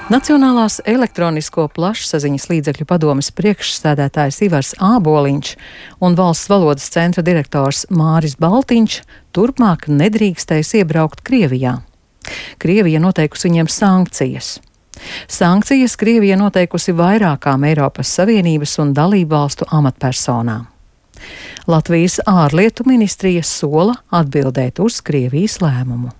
Nacionālās elektronisko plašsaziņas līdzekļu padomes priekšsēdētājs Ivars Āboliņš un Valsts valodas centra direktors Māris Baltiņš turpmāk nedrīkstēs iebraukt Krievijā. Krievija noteikusi viņiem sankcijas. Sankcijas Krievija noteikusi vairākām Eiropas Savienības un dalību valstu amatpersonām. Latvijas ārlietu ministrija sola atbildēt uz Krievijas lēmumu.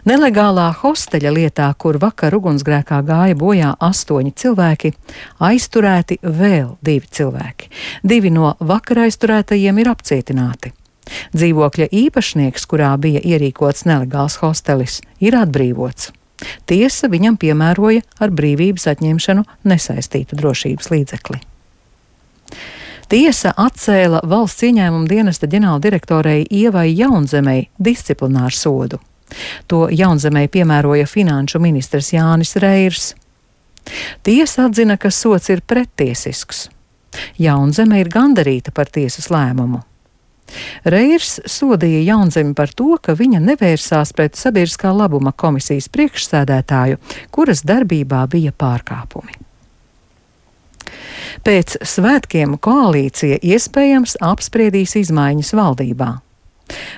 Nelegālā hosteļa lietā, kur vakar ugunsgrēkā gāja bojā 8 cilvēki, aizturēti vēl 2 cilvēki. 2 no vakar aizturētajiem ir apcietināti. Dzīvokļa īpašnieks, kurā bija ierīkots nelegāls hostelis, ir atbrīvots. Tiesa viņam piemēroja ar brīvības atņemšanu nesaistītu drošības līdzekli. Tiesa atcēla valsts ieņēmuma dienesta ģenerāldirektorei Ievai Jaunzemei disciplināru sodu. To Jaunzemei piemēroja finanšu ministrs Jānis Reirs. Tiesa atzina, ka sods ir prettiesisks. Jaunzeme ir gandarīta par tiesas lēmumu. Reirs sodīja Jaunzemi par to, ka viņa nevērsās pret sabiedriskā labuma komisijas priekšsēdētāju, kuras darbībā bija pārkāpumi. Pēc svētkiem koalīcija iespējams apspriedīs izmaiņas valdībā.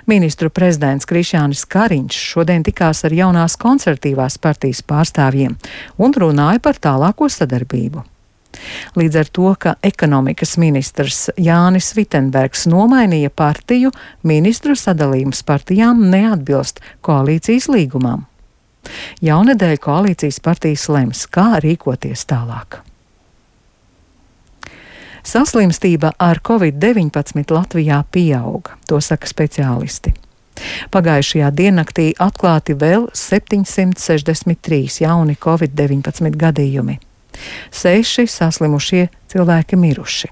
Ministru prezidents Krišjānis Kariņš šodien tikās ar jaunās konservatīvās partijas pārstāvjiem un runāja par tālāko sadarbību. Līdz ar to, ka ekonomikas ministrs Jānis Vitenbergs nomainīja partiju, ministru sadalījums partijām neatbilst koalīcijas līgumam. Jaunedēļ koalīcijas partijas lems, kā rīkoties tālāk. Saslimstība ar Covid-19 Latvijā pieauga, to saka speciālisti. Pagājušajā diennaktī atklāti vēl 763 jauni Covid-19 gadījumi. 6 saslimušie cilvēki miruši.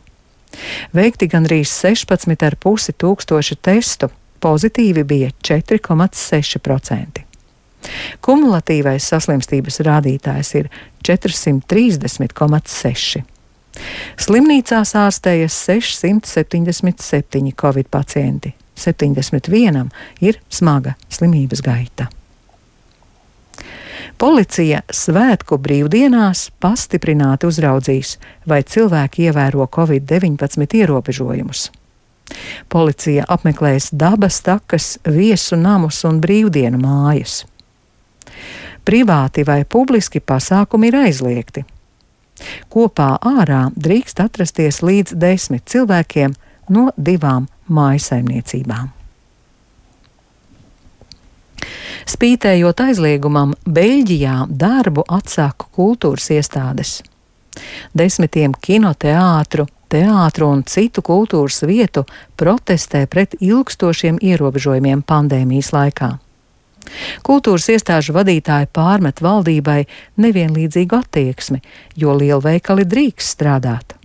Veikti gandrīz 16,5 tūkstoši testu, pozitīvi bija 4,6%. Kumulatīvais saslimstības rādītājs ir 430,6%. Slimnīcās ārstējas 677 covid pacienti, 71 ir smaga slimības gaita. Policija svētku brīvdienās pastiprināti uzraudzīs, vai cilvēki ievēro Covid-19 ierobežojumus. Policija apmeklēs dabas takas, viesu namus un brīvdienu mājas. Privāti vai publiski pasākumi ir aizliegti. Kopā ārā drīkst atrasties līdz 10 cilvēkiem no 2 mājsaimniecībām. Spītējot aizliegumam, Beļģijā darbu atsāka kultūras iestādes. 10 kinoteātru, teātru un citu kultūras vietu protestē pret ilgstošiem ierobežojumiem pandēmijas laikā. Kultūras iestāžu vadītāji pārmet valdībai nevienlīdzīgu attieksmi, jo lielveikali drīkst strādāt.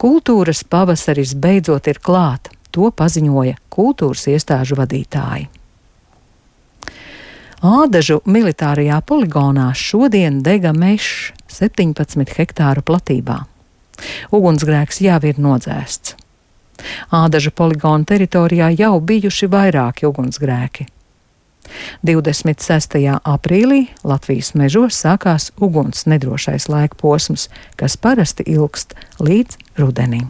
Kultūras pavasaris beidzot ir klāt, to paziņoja kultūras iestāžu vadītāji. Ādažu militārajā poligonā šodien dega mežs 17 hektāru platībā. Ugunsgrēks jau ir nodzēsts. Ādažu poligona teritorijā jau bijuši vairāki ugunsgrēki. 26. aprīlī Latvijas mežos sākās uguns nedrošais laika posms, kas parasti ilgst līdz rudenim.